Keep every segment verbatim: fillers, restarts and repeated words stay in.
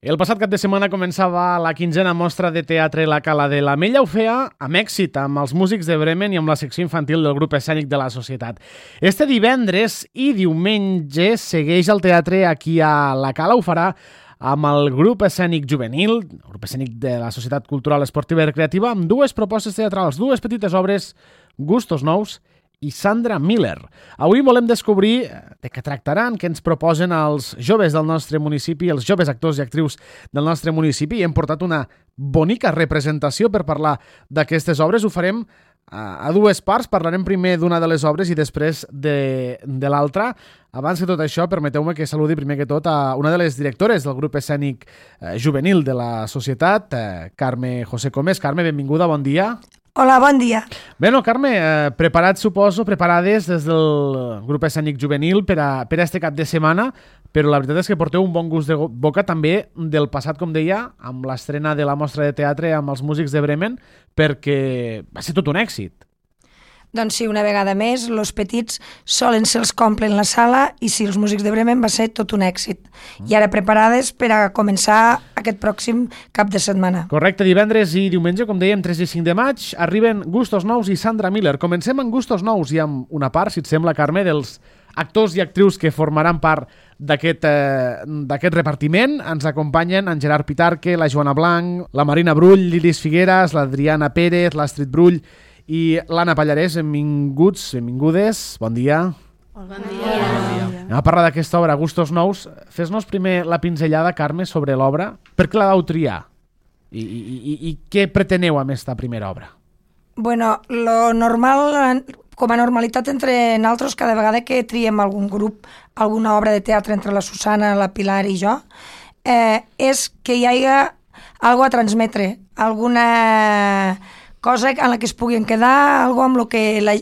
El passat cap de setmana començava la quinzena mostra de teatre La Cala de l'Amella. Ho feia amb èxit, amb els músics de Bremen i amb la secció infantil del grup escènic de la Societat. Este divendres i diumenge segueix el teatre aquí a La Cala. Ho farà amb el grup escènic juvenil, el grup escènic de la Societat Cultural Esportiva i Recreativa, amb dues propostes teatrals, dues petites obres, Gustos Nous i Sandra Miller. Avui volem descobrir de què tractaran, què ens proposen els joves del nostre municipi, els joves actors i actrius del nostre municipi, i hem portat una bonica representació per parlar d'aquestes obres. Ho farem a dues parts, parlarem primer d'una de les obres i després de, de l'altra. Abans que tot això, permeteu-me que saludi primer que tot a una de les directores del grup escènic eh, juvenil de la Societat, eh, Carme José Comés. Carme, benvinguda, bon dia. Hola, bon dia. Bé, no, Carme, eh, preparats, suposo, preparades des del grup escènic juvenil per a, per a este cap de setmana, però la veritat és que porteu un bon gust de boca també del passat, com deia, amb l'estrena de la mostra de teatre amb els músics de Bremen, perquè va ser tot un èxit. Doncs sí, una vegada més, els petits solen ser els que omplen la sala i sí, els músics de Bremen va ser tot un èxit. Mm. I ara preparades per a començar aquest pròxim cap de setmana. Correcte, divendres i diumenge, com dèiem, tres i cinc de maig, arriben Gustos Nous i Sandra Miller. Comencem amb Gustos Nous i amb una part, si et sembla, Carme, dels actors i actrius que formaran part d'aquest eh, d'aquest repartiment. Ens acompanyen en Gerard Pitarque, la Joana Blanc, la Marina Brull, l'Iris Figueras, l'Adriana Pérez, l'Astrid Brull i l'Anna Pallarès. Benvinguts, benvingudes, bon dia. Bon dia. Bon dia. Anem a parlar d'aquesta obra, Gustos Nous. Fes-nos primer la pinzellada, Carme, sobre l'obra. Per què la vau triar? I, i, i, i què preteneu amb aquesta primera obra? Bueno, lo normal, com a normalitat entre nosaltres, cada vegada que triem algun grup, alguna obra de teatre entre la Susana, la Pilar i jo, eh, és que hi hagi alguna a transmetre, alguna cosa en la que es puguin quedar, alguna amb lo que la,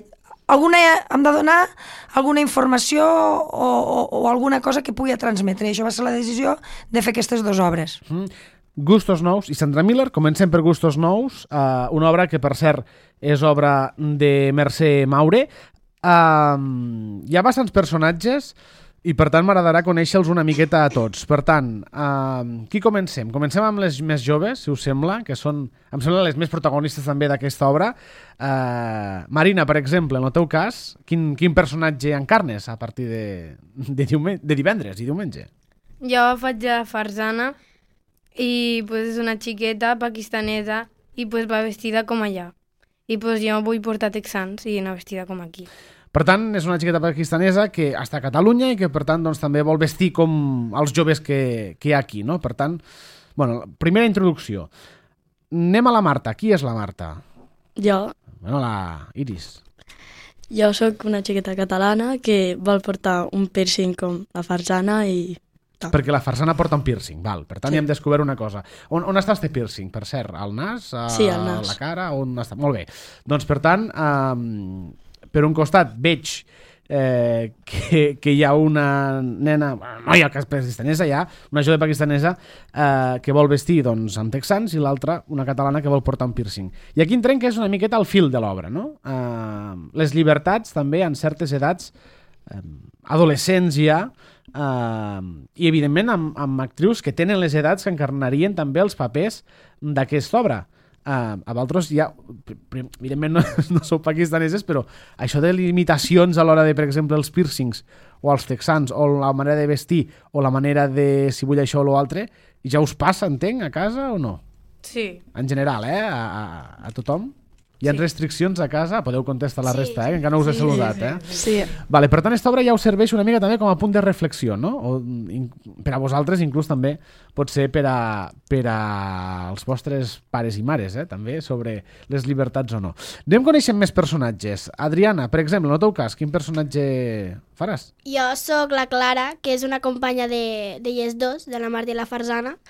alguna hem de donar alguna informació o, o, o alguna cosa que pugui transmetre. I això va ser la decisió de fer aquestes dues obres. Mm. Gustos Nous i Sandra Miller. Comencem per Gustos Nous, uh, una obra que, per cert, és obra de Mercè Maure. Uh, hi ha bastants personatges i, per tant, m'agradarà conèixer-los una miqueta a tots. Per tant, uh, qui comencem? Comencem amb les més joves, si us sembla, que són, em sembla, les més protagonistes també d'aquesta obra. Uh, Marina, per exemple, en el teu cas, quin, quin personatge encarnes a partir de, de, diumen- de divendres i diumenge? Jo faig la Farzana i pues, és una xiqueta pakistanesa i pues, va vestida com allà. I pues, jo vull portar texans i anar vestida com aquí. Per tant, és una xiqueta pakistanesa que està a Catalunya i que, per tant, doncs, també vol vestir com els joves que, que hi ha aquí, no? Per tant, bueno, primera introducció. Anem a la Marta. Qui és la Marta? Jo. Bueno, la Iris. Jo sóc una xiqueta catalana que vol portar un piercing com la Farzana i... Perquè la Farzana porta un piercing, val. Per tant, Sí. hi hem descobert una cosa. On, on està este piercing, per cert? Al nas? A Sí, al nas. la cara? On està? Molt bé. Doncs, per tant, um, per un costat veig eh, que, que hi ha una nena, no hi ha cas pakistanesa, hi ha una jove pakistanesa eh, que vol vestir doncs, amb texans i l'altra una catalana que vol portar un piercing. I aquí entrem que és una miqueta el fil de l'obra, no? Eh, les llibertats també en certes edats eh, adolescents ja, Uh, i evidentment amb, amb actrius que tenen les edats que encarnarien també els papers d'aquesta obra. Uh, a vosaltres ja, evidentment no, no sou pakistaneses, però això de limitacions a l'hora de, per exemple, els piercings o els texans o la manera de vestir o la manera de si vull això o l'altre, ja us passa, entenc, a casa o no? Sí. En general, eh? A, a, a tothom? Hi ha Sí. restriccions a casa? Podeu contestar la Sí, resta, eh? Que encara no us he sí, saludat, sí, eh? Sí. Vale, per tant, aquesta obra ja us serveix una mica també com a punt de reflexió, no? O, in, per a vosaltres, inclús també pot ser per a, per a els vostres pares i mares, eh? També, sobre les llibertats o no. Anem coneixent més personatges. Adriana, per exemple, en el teu cas, quin personatge faràs? Jo sóc la Clara, que és una companya de, de Yes dos, de la Marta i la Farzana,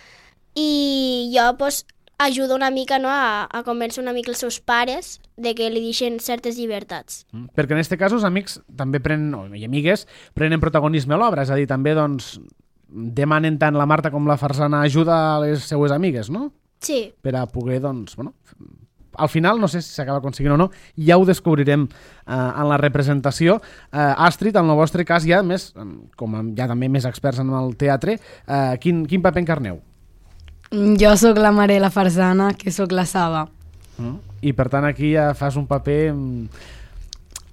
i jo pues, ajudo una mica, no, a, a convèncer una mica els seus pares de que li deixen certes llibertats. Mm. Perquè en aquest cas els amics també prenen, o, i amigues, prenen protagonisme a l'obra, és a dir, també doncs, demanen tant la Marta com la Farzana ajuda a les seues amigues, no? Sí. Per a poder, doncs, bueno, al final, no sé si s'acaba aconseguint o no, ja ho descobrirem eh, en la representació. Eh, Astrid, en el vostre cas, ja més, com ja també més experts en el teatre, eh, quin, quin paper encarneu? Jo sóc la Marela Farzana, que sóc la Saba. Mm. I per tant aquí ja fas un paper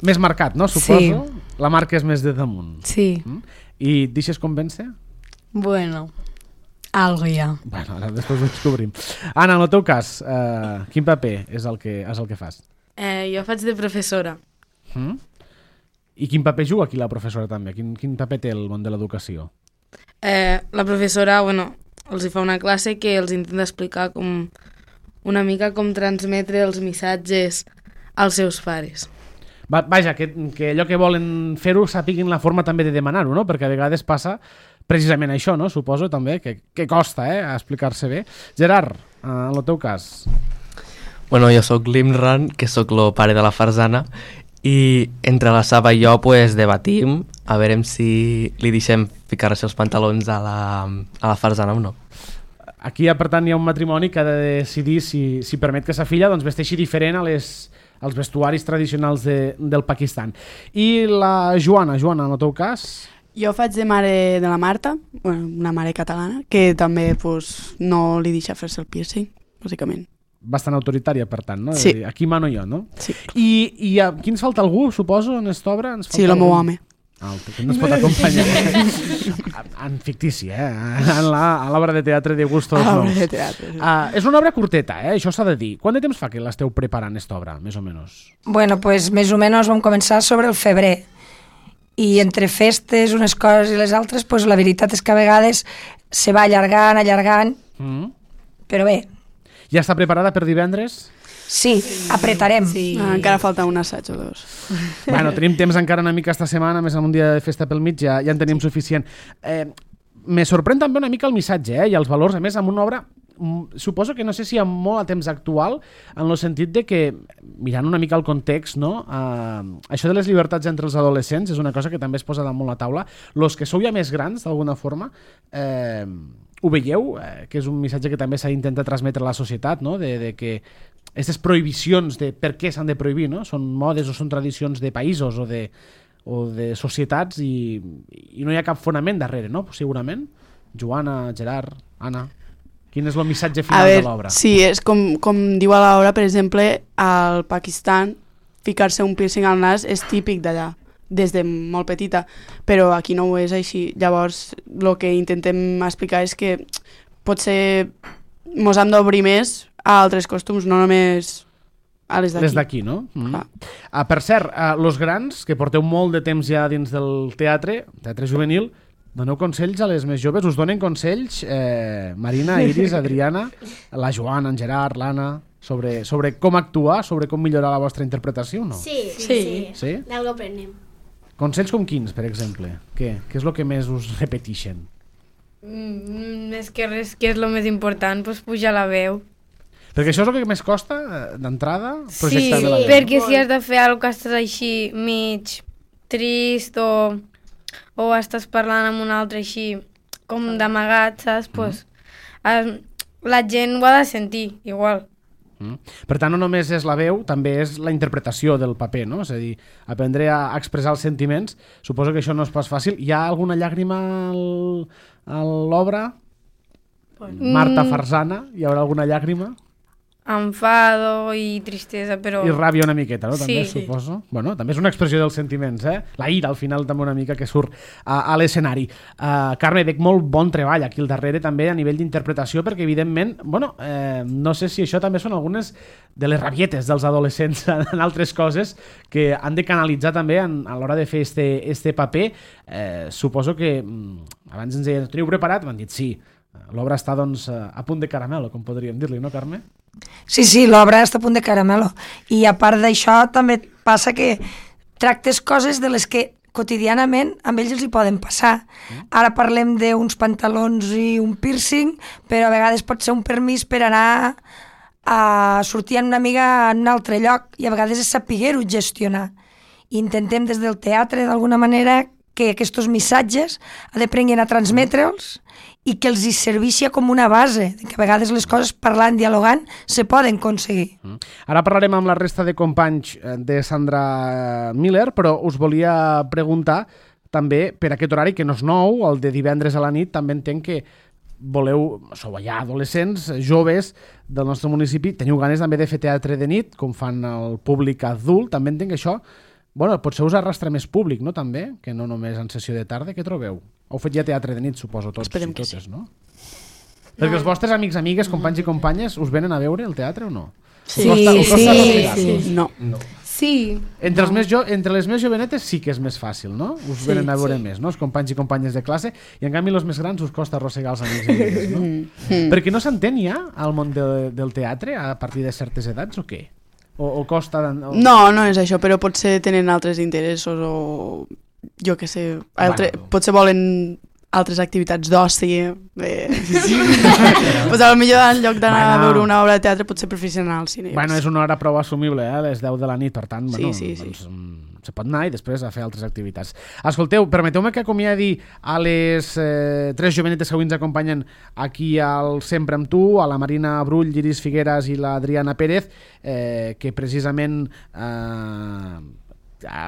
més marcat, no? Suposo. Sí. La marca és més de damunt. Sí. Mm? I et deixes convèncer? Bueno, algo ja. Bueno, ara després ho descobrim. Anna, en el teu cas, eh, quin paper és el que, és el que fas? Eh, jo faig de professora. Mm? I quin paper juga aquí la professora també? Quin, quin paper té el món de l'educació? Eh, la professora, bueno, els hi fa una classe que els intenta explicar com una mica com transmetre els missatges als seus pares. Va, vaja, que, que allò que volen fer-ho sapiguin la forma també de demanar-ho, no? Perquè a vegades passa precisament això, no? Suposo també, que, que costa eh, explicar-se bé. Gerard, eh, en el teu cas. Bueno, jo sóc l'Imran, que sóc el pare de la Farzana, i entre la Saba i jo pues, debatim a veure si li deixem ficar-se els pantalons a la, a la Farzana o no. Aquí, per tant, hi ha un matrimoni que ha de decidir si, si permet que sa filla doncs, vesteixi diferent a les, als vestuaris tradicionals de, del Pakistan. I la Joana, Joana, en el teu cas? Jo faig de mare de la Marta, bueno, una mare catalana, que també pues, no li deixa fer-se el piercing, bàsicament. Bastant autoritària, per tant, no? Sí. Aquí mano jo, no? Sí. I, i aquí ens falta algú, suposo, en esta obra? Ens falta Sí, el meu algú? home. Ah, que no es pot acompanyar. En fictici, eh? En l'obra de teatre de Gustos A Nous. l'obra de teatre, sí. Uh, és una obra curteta, eh? Això s'ha de dir. Quant de temps fa que l'esteu preparant, esta obra, més o menys? Bueno, pues més o menys vam començar sobre el febrer. I entre festes, unes coses i les altres, pues la veritat és que a vegades se va allargant, allargant, Mm. però bé, Ja està preparada per divendres? sí, apretarem. Sí. Ah, encara falta un assaig o dos. Bueno, tenim temps encara una mica esta setmana, més en un dia de festa pel mig, ja, ja en tenim suficient. Eh, me sorprèn també una mica el missatge eh, i els valors, a més, amb una obra suposo que no sé si hi ha molt a temps actual en el sentit de que, mirant una mica el context, no? Uh, això de les llibertats entre els adolescents és una cosa que també es posa damunt la taula. Los que sou ja més grans, d'alguna forma, eh, ho veieu? Eh, que és un missatge que també s'ha d'intentar transmetre a la societat, no? De, de que aquestes prohibicions de per què s'han de prohibir, no? Són modes o són tradicions de països o de, o de societats i, i no hi ha cap fonament darrere, no? Segurament. Joana, Gerard, Anna... Quin és el missatge final veure, de l'obra? Sí, és com, com diu a l'obra, per exemple, al Pakistan, ficar-se un piercing al nas és típic d'allà, des de molt petita, però aquí no ho és així. Llavors, el que intentem explicar és que potser mos hem d'obrir més a altres costums, no només a les d'aquí. Les d'aquí, no? Mm. Ah, per cert, uh, los grans, que porteu molt de temps ja dins del teatre, teatre juvenil, doneu consells a les més joves? Us donen consells, eh, Marina, Iris, Adriana, la Joana, en Gerard, l'Anna, sobre, sobre com actuar, sobre com millorar la vostra interpretació, no? Sí, sí. Sí. sí. Sí? D'algo aprenem. Consells com quins, per exemple? Què? Què és el que més us repeteixen? Mm, més que res, que és el més important, doncs pujar la veu. Perquè això és el que més costa, eh, d'entrada, Sí, projectar bé la veu. perquè si has de fer alguna cosa que estàs així mig trist o, o estàs parlant amb un altre així com d'amagat, saps? Pues, eh, la gent ho ha de sentir, igual. Mm. Per tant, no només és la veu, també és la interpretació del paper, no? És a dir, aprendre a expressar els sentiments. Suposo que això no és pas fàcil. Hi ha alguna llàgrima al, a l'obra? Marta Farzana, hi haurà alguna llàgrima? Enfado i tristesa, però... I ràbia una miqueta, no? També, Sí. suposo. Bueno, també és una expressió dels sentiments, eh? La ira, al final, també una mica que surt a, a l'escenari. Uh, Carme, veig molt bon treball aquí al darrere, també, a nivell d'interpretació, perquè, evidentment, bueno, eh, no sé si això també són algunes de les rabietes dels adolescents en altres coses que han de canalitzar també en, a l'hora de fer este, este paper. Eh, suposo que mm, abans ens deien, teniu preparat? M'han dit sí. L'obra està, doncs, a punt de caramelo, com podríem dir-li, no, Carme? Sí, sí, l'obra està a punt de caramelo. I a part d'això també passa que tractes coses de les que quotidianament amb ells els hi poden passar. Ara parlem d'uns pantalons i un piercing, però a vegades pot ser un permís per anar a sortir amb una amiga en un altre lloc i a vegades és saber-ho gestionar. I intentem des del teatre d'alguna manera que aquests missatges aprenguin a transmetre'ls i que els hi serveixi com una base, que a vegades les coses parlant, dialogant, se poden aconseguir. Mm. Ara parlarem amb la resta de companys de Sandra Miller, però us volia preguntar també per aquest horari, que no és nou, el de divendres a la nit, també entenc que voleu, sou allà adolescents, joves del nostre municipi, teniu ganes també de fer teatre de nit, com fan el públic adult, també entenc que això, bueno, potser us arrastra més públic, no, també, que no només en sessió de tarda, què trobeu? Heu fet ja teatre de nit, suposo, tots Esperem i que totes, sí. no? Perquè els vostres amics, amigues, companys i companyes us venen a veure el teatre o no? Sí, Us costa- us costa sí, respirar-vos? sí. No. Sí. Entre, els més jo, entre les més jovenetes sí que és més fàcil, no? Us Sí, venen a veure sí. més, no? Els companys i companyes de classe, i en canvi els més grans us costa arrossegar els amics i amigues, no? Mm. Perquè no s'entén ja al món de, del teatre a partir de certes edats o què? O, o costa... O... No, no és això, però potser tenen altres interessos o jo què sé, altre, Bueno. potser volen altres activitats d'oci. Eh, sí, sí. pues a lo millor en lloc d'anar Bueno. a veure una obra de teatre potser prefereixen anar al cine. Bueno, és una hora prou assumible, eh? A les deu de la nit, per tant, Sí, bueno, sí, sí. doncs, mm, se pot anar i després a fer altres activitats. Escolteu, permeteu-me que acomiadi a les eh, tres jovenetes que avui ens acompanyen aquí al Sempre amb tu, a la Marina Brull, l'Iris Figueras i l'Adriana Pérez, eh, que precisament eh,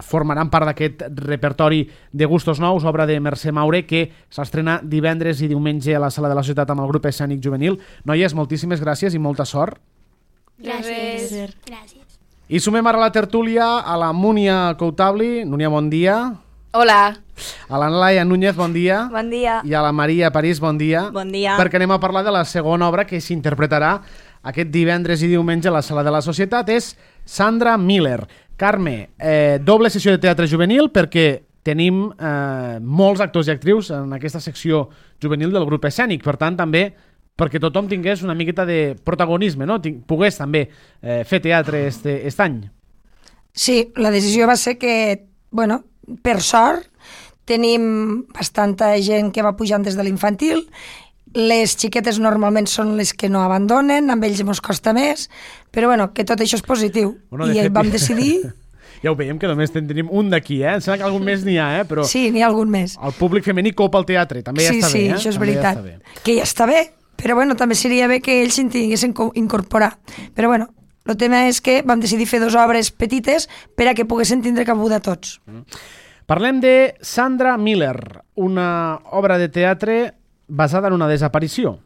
formaran part d'aquest repertori de gustos nous, obra de Mercè Maure, que s'estrena divendres i diumenge a la Sala de la Societat amb el grup escènic juvenil. Noies, moltíssimes gràcies i molta sort. Gràcies. Gràcies. I sumem ara a la tertúlia a la Múnia Coutabli. Núnia, bon dia. Hola. A la Laia Núñez, bon dia. Bon dia. I a la Maria París, bon dia. Bon dia. Perquè anem a parlar de la segona obra que s'interpretarà aquest divendres i diumenge a la Sala de la Societat. És Sandra Miller. Carme, eh, doble sessió de teatre juvenil perquè tenim eh, molts actors i actrius en aquesta secció juvenil del grup escènic. Per tant, també perquè tothom tingués una miqueta de protagonisme, no? Tinc, pogués també eh, fer teatre este, este any. Sí, la decisió va ser que, bueno, per sort, tenim bastanta gent que va pujant des de l'infantil. Les xiquetes normalment són les que no abandonen, amb ells ens costa més, però bueno, que tot això és positiu. Bueno, de I fet, vam decidir... Ja ho veiem que només en tenim un d'aquí, eh? Em sembla que algun més n'hi ha, eh? Però Sí, n'hi ha algun més. el públic femení copa el teatre, també ja Sí, està sí, bé, eh? això és També ja veritat. està bé. Que ja està bé, però bueno, també seria bé que ells s'hi tinguessin co- incorporar. Però bueno, el tema és que vam decidir fer dues obres petites per a que poguessin tindre cabuda tots. Parlem de Sandra Miller, una obra de teatre basada en una desaparició.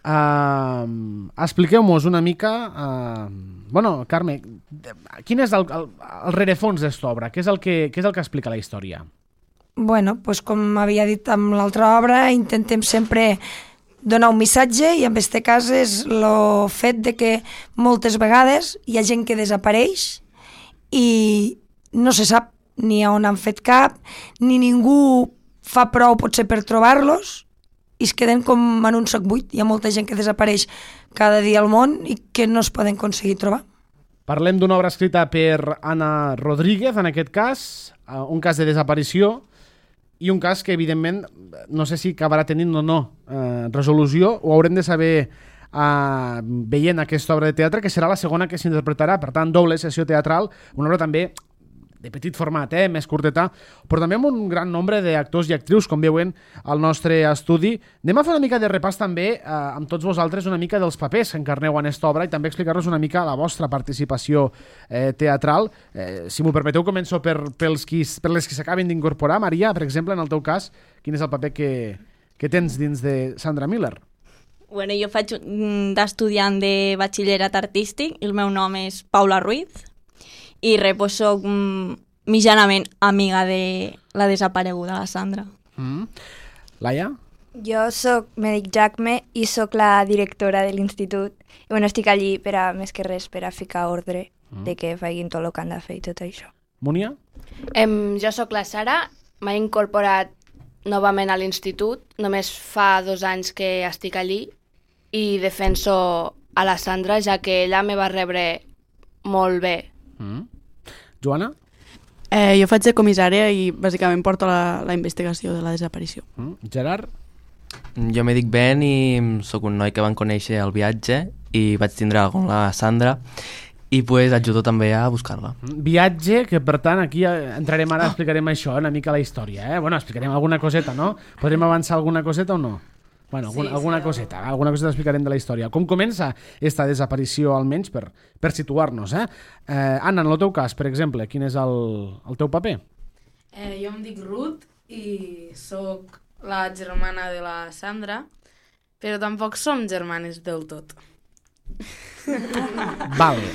Uh, expliqueu-nos una mica... Uh, bueno, Carme, quin és el, el, el rerefons d'esta obra? Què és, el que, què és el que explica la història? Bueno, pues com havia dit amb l'altra obra, intentem sempre donar un missatge i en aquest cas és el fet de que moltes vegades hi ha gent que desapareix i no se sap ni on han fet cap, ni ningú fa prou potser per trobar-los i es queden com en un sac buit. Hi ha molta gent que desapareix cada dia al món i que no es poden aconseguir trobar. Parlem d'una obra escrita per Ana Rodríguez, en aquest cas, uh, un cas de desaparició i un cas que, evidentment, no sé si acabarà tenint o no eh, resolució, ho haurem de saber eh, veient aquesta obra de teatre, que serà la segona que s'interpretarà, per tant, doble sessió teatral, una obra també de petit format, eh, més curteta, però també amb un gran nombre d'actors i actrius, com veuen al nostre estudi. Anem a fer una mica de repàs també eh, amb tots vosaltres, una mica dels papers que encarneu en aquesta obra i també explicar-nos una mica la vostra participació eh, teatral. Eh, si m'ho permeteu, començo per, pels qui, per les que s'acaben d'incorporar. Maria, per exemple, en el teu cas, quin és el paper que, que tens dins de Sandra Miller? Bueno, jo faig mm, d'estudiant de batxillerat artístic, el meu nom és Paula Ruiz, i res, pues, soc mm, mitjanament amiga de la desapareguda, la Sandra. Mm. Laia? Jo sóc Mèdic Jacme i sóc la directora de l'institut. I bueno, estic allí per a, més que res, per a ficar ordre mm. de que facin tot el que han de fer i tot això. Múnia? Em, jo sóc la Sara, m'he incorporat novament a l'institut, només fa dos anys que estic allí i defenso a la Sandra, ja que ella me va rebre molt bé. Mm. Joana? Eh, jo faig de comissària i bàsicament porto la, la investigació de la desaparició. Mm. Gerard? Jo me dic Ben i sóc un noi que van conèixer al viatge i vaig tindre amb la Sandra i pues ajudo també a buscar-la. Viatge, que per tant aquí entrarem ara, explicarem això, una mica la història, eh? Bueno, explicarem alguna coseta, no? Podrem avançar alguna coseta o no? Bueno, alguna, sí, alguna sí, coseta, alguna coseta explicarem de la història. Com comença esta desaparició, almenys, per, per situar-nos, eh? eh? Anna, en el teu cas, per exemple, quin és el, el teu paper? Eh, jo em dic Ruth i sóc la germana de la Sandra Però tampoc som germanes del tot. Vale.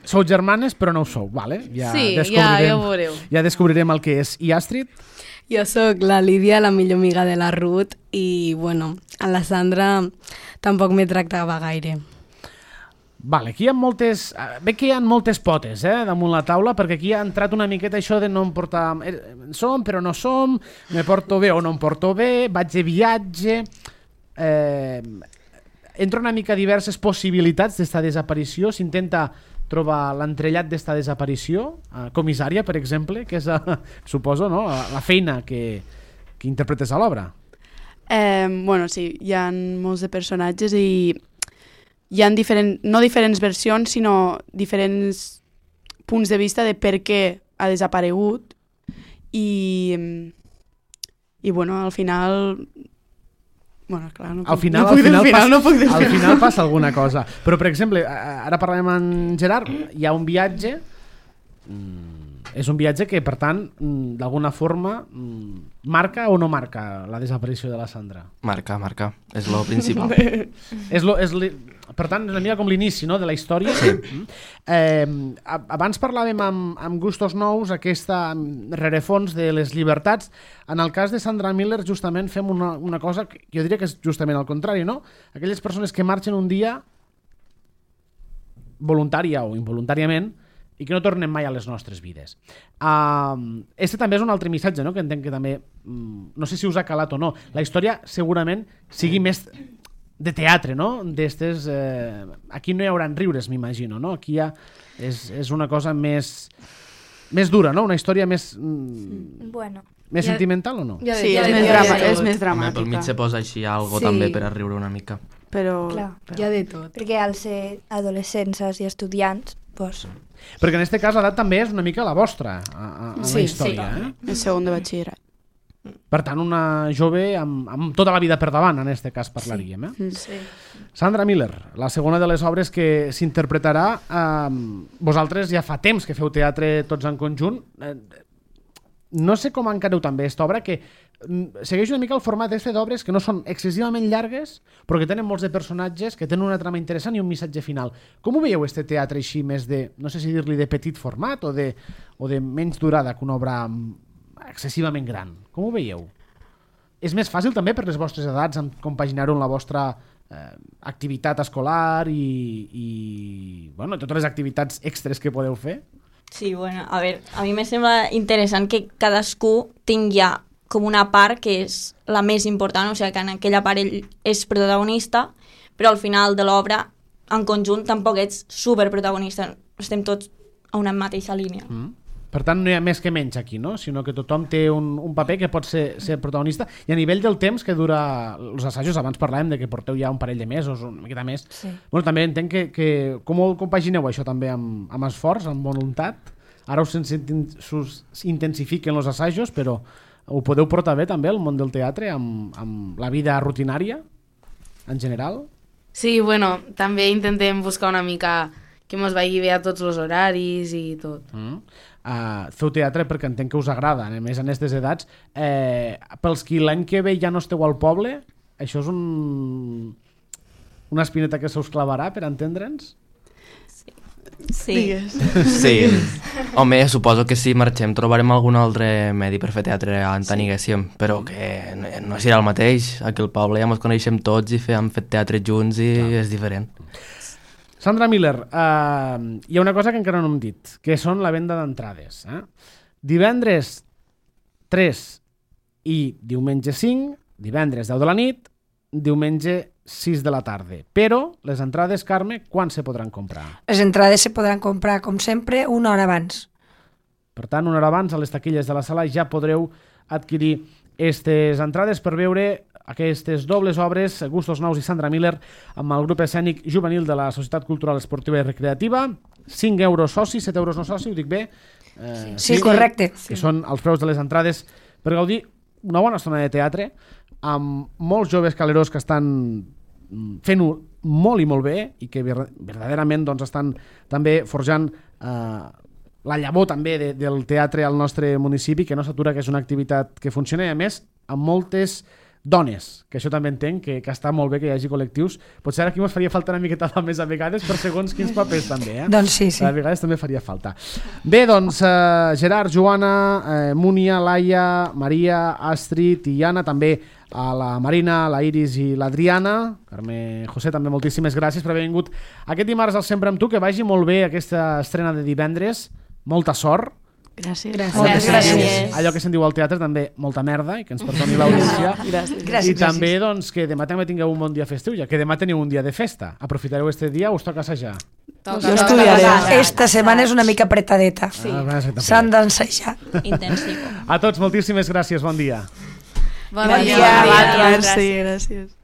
Sou germanes, però no ho sou, vale? Ja sí, ja, descobrirem, ja ho veureu. Ja descobrirem el que és. I Astrid? Jo sóc la Lídia, la millor amiga de la Ruth, i, bueno, a la Sandra tampoc me tractava gaire. Vale, aquí hi ha moltes... Bé que hi ha moltes potes, eh, damunt la taula, perquè aquí ha entrat una miqueta això de no em portar... Som, però no som, me porto bé o no em porto bé, vaig de viatge... Eh, entra una mica diverses possibilitats d'esta desaparició, s'intenta trobar l'entrellat d'esta desaparició, eh, comissària, per exemple, que és, eh, suposo, no? la feina que, que interpretes a l'obra. Eh, bueno, sí, hi ha molts de personatges i hi ha diferent, no diferents versions, sinó diferents punts de vista de per què ha desaparegut i, i bueno, al final... Bueno, clar, no puc, al final, no puc al final, final, passa, no puc al final passa alguna cosa. Però, per exemple, ara parlem amb Gerard, hi ha un viatge, mm, és un viatge que, per tant, mm, d'alguna forma, mm, marca o no marca la desaparició de la Sandra? Marca, marca, és lo principal. és lo, és li... Per tant, és una mica com l'inici, no?, de la història. Sí. Eh, abans parlàvem amb, amb Gustos Nous, aquesta rerefons de les llibertats. En el cas de Sandra Miller, justament fem una, una cosa que jo diria que és justament al contrari, no? Aquelles persones que marxen un dia voluntària o involuntàriament i que no tornen mai a les nostres vides. Uh, este també és un altre missatge, no?, que entenc que també, um, no sé si us ha calat o no, la història segurament sigui més de teatre, no? D'estes, eh, aquí no hi haurà riures, m'imagino, no? Aquí ja és, és una cosa més, més dura, no? Una història més... Mm, bueno. Més ja, sentimental o no? Ja sí, ja és, més drama, és més dramàtica. Pel mig se posa així algo sí. també per a riure una mica. Però... Clar, hi ha de tot. Perquè al ser adolescents i estudiants, doncs... Perquè en aquest cas l'edat també és una mica la vostra, a, a, a sí, la història. Sí, eh? el segon de batxillerat. Per tant, una jove amb, amb tota la vida per davant, en aquest cas parlaríem. Eh? Sí. Sandra Miller, la segona de les obres que s'interpretarà, eh, vosaltres ja fa temps que feu teatre tots en conjunt. Eh, no sé com encareu també aquesta obra, que segueix una mica el format d'este d'obres que no són excessivament llargues, però que tenen molts de personatges, que tenen una trama interessant i un missatge final. Com ho veieu, este teatre així més de, no sé si dir-li de petit format o de, o de menys durada que una obra excessivament gran? Com ho veieu? És més fàcil també per les vostres edats compaginar-ho amb la vostra eh, activitat escolar i, i bueno, totes les activitats extres que podeu fer? Sí, bueno, a veure, a mi me sembla interessant que cadascú tingui ja com una part que és la més important, o sigui que en aquella part ell és protagonista, però al final de l'obra, en conjunt, tampoc ets superprotagonista, estem tots a una mateixa línia. Mm. Per tant, no hi ha més que menys aquí, no? Sinó que tothom té un, un paper que pot ser, ser protagonista. I a nivell del temps que dura els assajos, abans parlàvem de que porteu ja un parell de mesos, una miqueta més. Sí. Bueno, també entenc que, que com ho compagineu això també amb, amb esforç, amb voluntat? Ara us, us intensifiquen els assajos, però ho podeu portar bé també el món del teatre amb, amb la vida rutinària en general? Sí, bueno, també intentem buscar una mica que mos vagi bé a tots els horaris i tot. Mm. Uh, feu teatre perquè entenc que us agrada, a més en aquestes edats. Eh, pels qui l'any que ve ja no esteu al poble, això és un... una espineta que se us clavarà, per entendre'ns? Sí. Sí. Home, suposo que si marxem trobarem algun altre medi per fer teatre on sí. Aniguéssim, però que no, no serà el mateix. Aquí al poble ja ens coneixem tots i hem fet teatre junts i Clar. És diferent. Sandra Miller, uh, hi ha una cosa que encara no hem dit, que són la venda d'entrades. Eh? Divendres tres i diumenge cinc, divendres deu de la nit, diumenge sis de la tarda. Però les entrades, Carme, quan se podran comprar? Les entrades se podran comprar, com sempre, una hora abans. Per tant, una hora abans, a les taquilles de la sala ja podreu adquirir aquestes entrades per veure aquestes dobles obres, Gustos Nous i Sandra Miller, amb el grup escènic juvenil de la Societat Cultural Esportiva i Recreativa. cinc euros soci, set euros no soci, ho dic bé? Eh, sí, sí, correcte. Que sí. Són els preus de les entrades per gaudir una bona estona de teatre, amb molts joves calerós que estan fent-ho molt i molt bé i que verdaderament doncs, estan també forjant eh, la llavor també de, del teatre al nostre municipi, que no s'atura, que és una activitat que funciona i a més amb moltes dones, que això també entenc, que, que està molt bé que hi hagi col·lectius. Potser aquí ens faria falta una miqueta més a vegades per segons quins papers també, eh? Doncs sí, sí. A vegades també faria falta. Bé, doncs, eh, Gerard, Joana, eh, Múnia, Laia, Maria, Astrid i Anna, també a la Marina, la Iris i l'Adriana. Carme, José, també moltíssimes gràcies per haver vingut aquest dimarts al Sempre amb tu, que vagi molt bé aquesta estrena de divendres, molta sort. Gràcies. Gràcies. Gràcies. Allò que se'n diu al teatre també, molta merda, i que ens perdoni l'audiència. Gràcies. I Gràcies. també doncs, que demà també tingueu un bon dia festiu, ja que demà teniu un dia de festa. Aprofitareu este dia o us toca assajar? Jo estudiaré. Esta setmana és una mica apretadeta. Sí. Ah, s'han d'ensajar. Intensivo. A tots, moltíssimes gràcies, bon dia. Bon dia. Merci, gràcies.